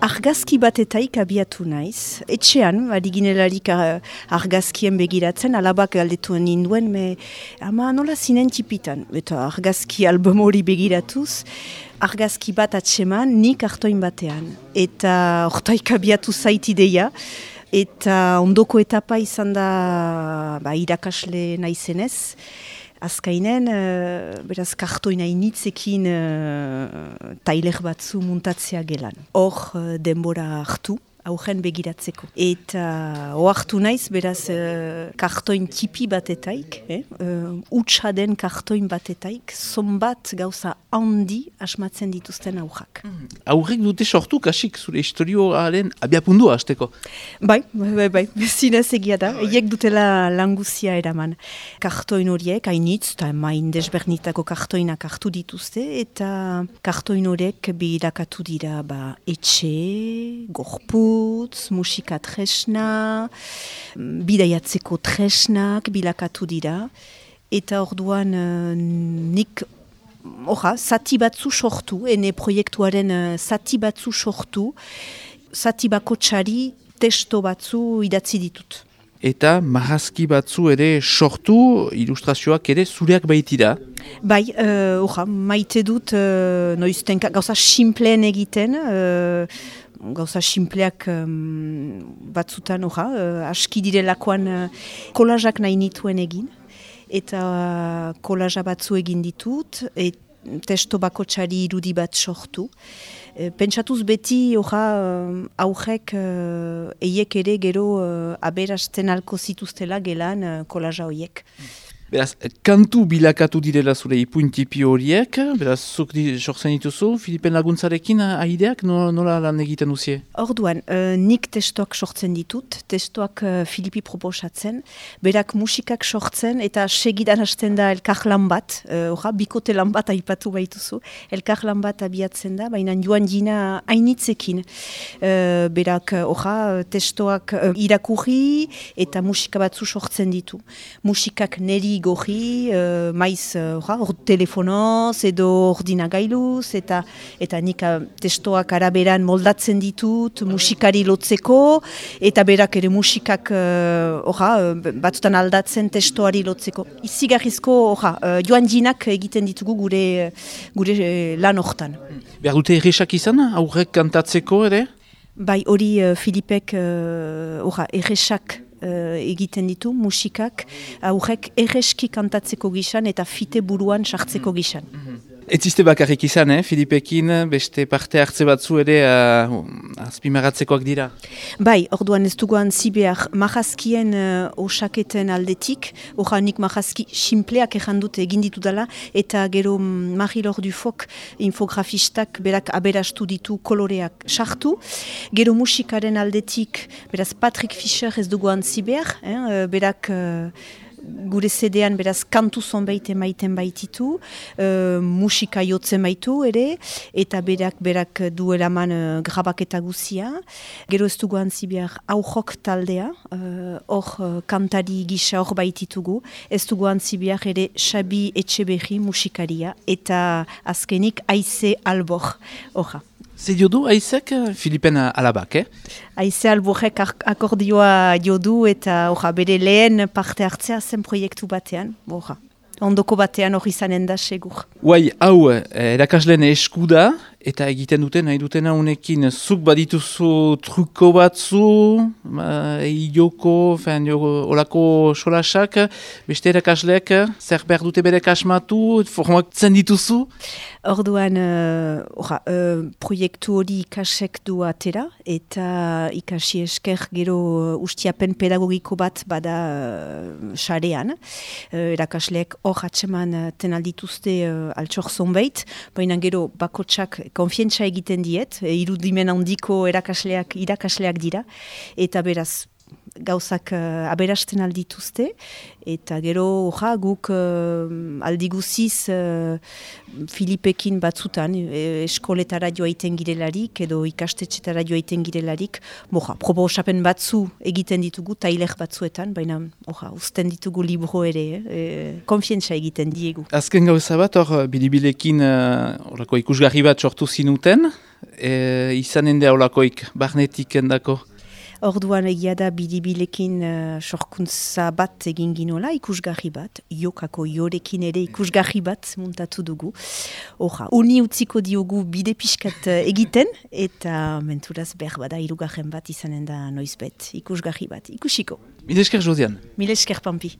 Argazki batetaik abiatu naiz. Etxean, adiginelarik argazkien begiratzen, alabak galdetuen ninduen, ama nola zinen tipitan. Eta argazki album hori begiratuz, argazki bat atseman, nik kartoin batean. Eta hortaik abiatu zait ideia. Eta ondoko etapa izan da irakasle naizenez. Azkainen, beraz, kartoina initzekin tailer batzu muntatzea gelan. Hor denbora hartu, aurren begiratzeko. Eta ohartu naiz, beraz, kartoin tipi batetaik, utsa den kartoin batetaik, zonbat gauza handi asmatzen dituzten aurrak. Aurrek dute sortu, kasik, zure historioaren abiapundua hasteko. Bai, zinez egia da, eiek dutela languzia eraman. Kartoin horiek, hainitz, eta main desbernitako kartoinak hartu dituzte, eta kartoin horiek bilakatu dira etxe, gorputz, musika tresna, bidaiatzeko tresnak bilakatu dira, eta orduan nik zati batzu sortu, ene proiektuaren zati batzu sortu, zati bakotsari testo batzu idatzi ditut. Eta marrazki batzu ere sortu, ilustrazioak ere zureak baitira. Bai, maite dut noiztenka gauza simpleen egiten, gauza simpleak batzutan, aski direlakoan kolazak nahi nituen egin. Eta kolaja batzu egin ditut, testo bakotsari irudi bat sortu. Pentsatuz beti aurrek eiek ere gero aberasten alko zituztela gelan kolaja horiek. Beraz, kantu bilakatu direla zure ipuintipi horiek, beraz, zuk sortzen dituzu, Filipen laguntzarekin aideak nola lan egiten duzie? Orduan, nik testoak sortzen ditut, testoak Filipi proposatzen, berak musikak sortzen eta segidan hasten da elkar lan bat, bikote lan bat aipatu baituzu, elkar lan bat abiatzen da, baina joan jina hainitzekin. Berak, testoak irakurri eta musika batzu sortzen ditu. Musikak neri gorri, maiz telefonoz edo ordinagailuz, eta nik testoak araberan moldatzen ditut, musikari lotzeko, eta berak ere musikak batzutan aldatzen testoari lotzeko. Izigarrizko joan jinak egiten ditugu gure lan hortan. Behar dute erresak izan, aurrek kantatzeko ere? Bai, hori Filipek erresak egiten ditu, musikak, aurrek erreski kantatzeko gizan eta fite buruan sartzeko gizan. Ez ziste bakarrik izan, Filipekin, beste parte hartze batzu ere azpimarratzekoak dira? Bai, orduan ez duguan zibeak marrazkien osaketen aldetik, nik marrazki simpleak errandut egin ditu dela, eta gero Marie-Laure Dufok infografistak berak aberastu ditu koloreak sartu. Gero musikaren aldetik, beraz Patrick Fischer ez duguan zibeak, berak gure CD-an beraz kantu zonbait emaiten baititu, musika jotzen baitu ere, eta berak duelaman grabaketa guzia. Gero ez dugu antzi behar aurrok taldea, hor kantari gisa hor baititugu, ez dugu antzi behar ere Xabi Etxeberri musikaria, eta azkenik Aize Albor, horra. Zer jodu Aizek, Filipen alabak, Aize Alborrek akordioa jodu eta bere lehen parte hartzea zen proiektu batean, ondoko batean hori izanen da segur. Hau, erakasleen eskuda, eta egiten duten, nahi dutena unekin, zuk badituzu truko batzu, ioko, olako solasak, beste erakasleek, zer behar dute bere kasmatu, formatzen dituzu? Orduan, proiektu hori ikasek du atera, eta ikasi esker gero ustiapen pedagogiko bat bada sarean. Erakasleek hor atseman tenaldituzte altxor zonbait, baina gero bakotsak konfientza egiten diet, irudimen handiko irakasleak dira, eta beraz gauzak aberasten aldituzte, eta gero guk aldiguziz Filipekin batzutan eskoletara joaiten girelarik edo ikastetxetara joaiten girelarik, proposapen batzu egiten ditugu, tailer batzuetan, baina uzten ditugu libro ere, konfientza egiten diegu. Azken gauza bat, bilibilekin ikusgarri bat sortu zinuten, izanen da olakoik, barnetik endako. Orduan egia da bidibilekin sorkuntza bat egin ginola, ikusgarri bat, jokako jorekin ere ikusgarri bat muntatu dugu. Uni utziko diogu bide pixkat egiten, eta menturaz behar bada hirugarren bat izanen da noizbet, ikusgarri bat, ikusiko. Mil esker Josian. Mil esker Pampi.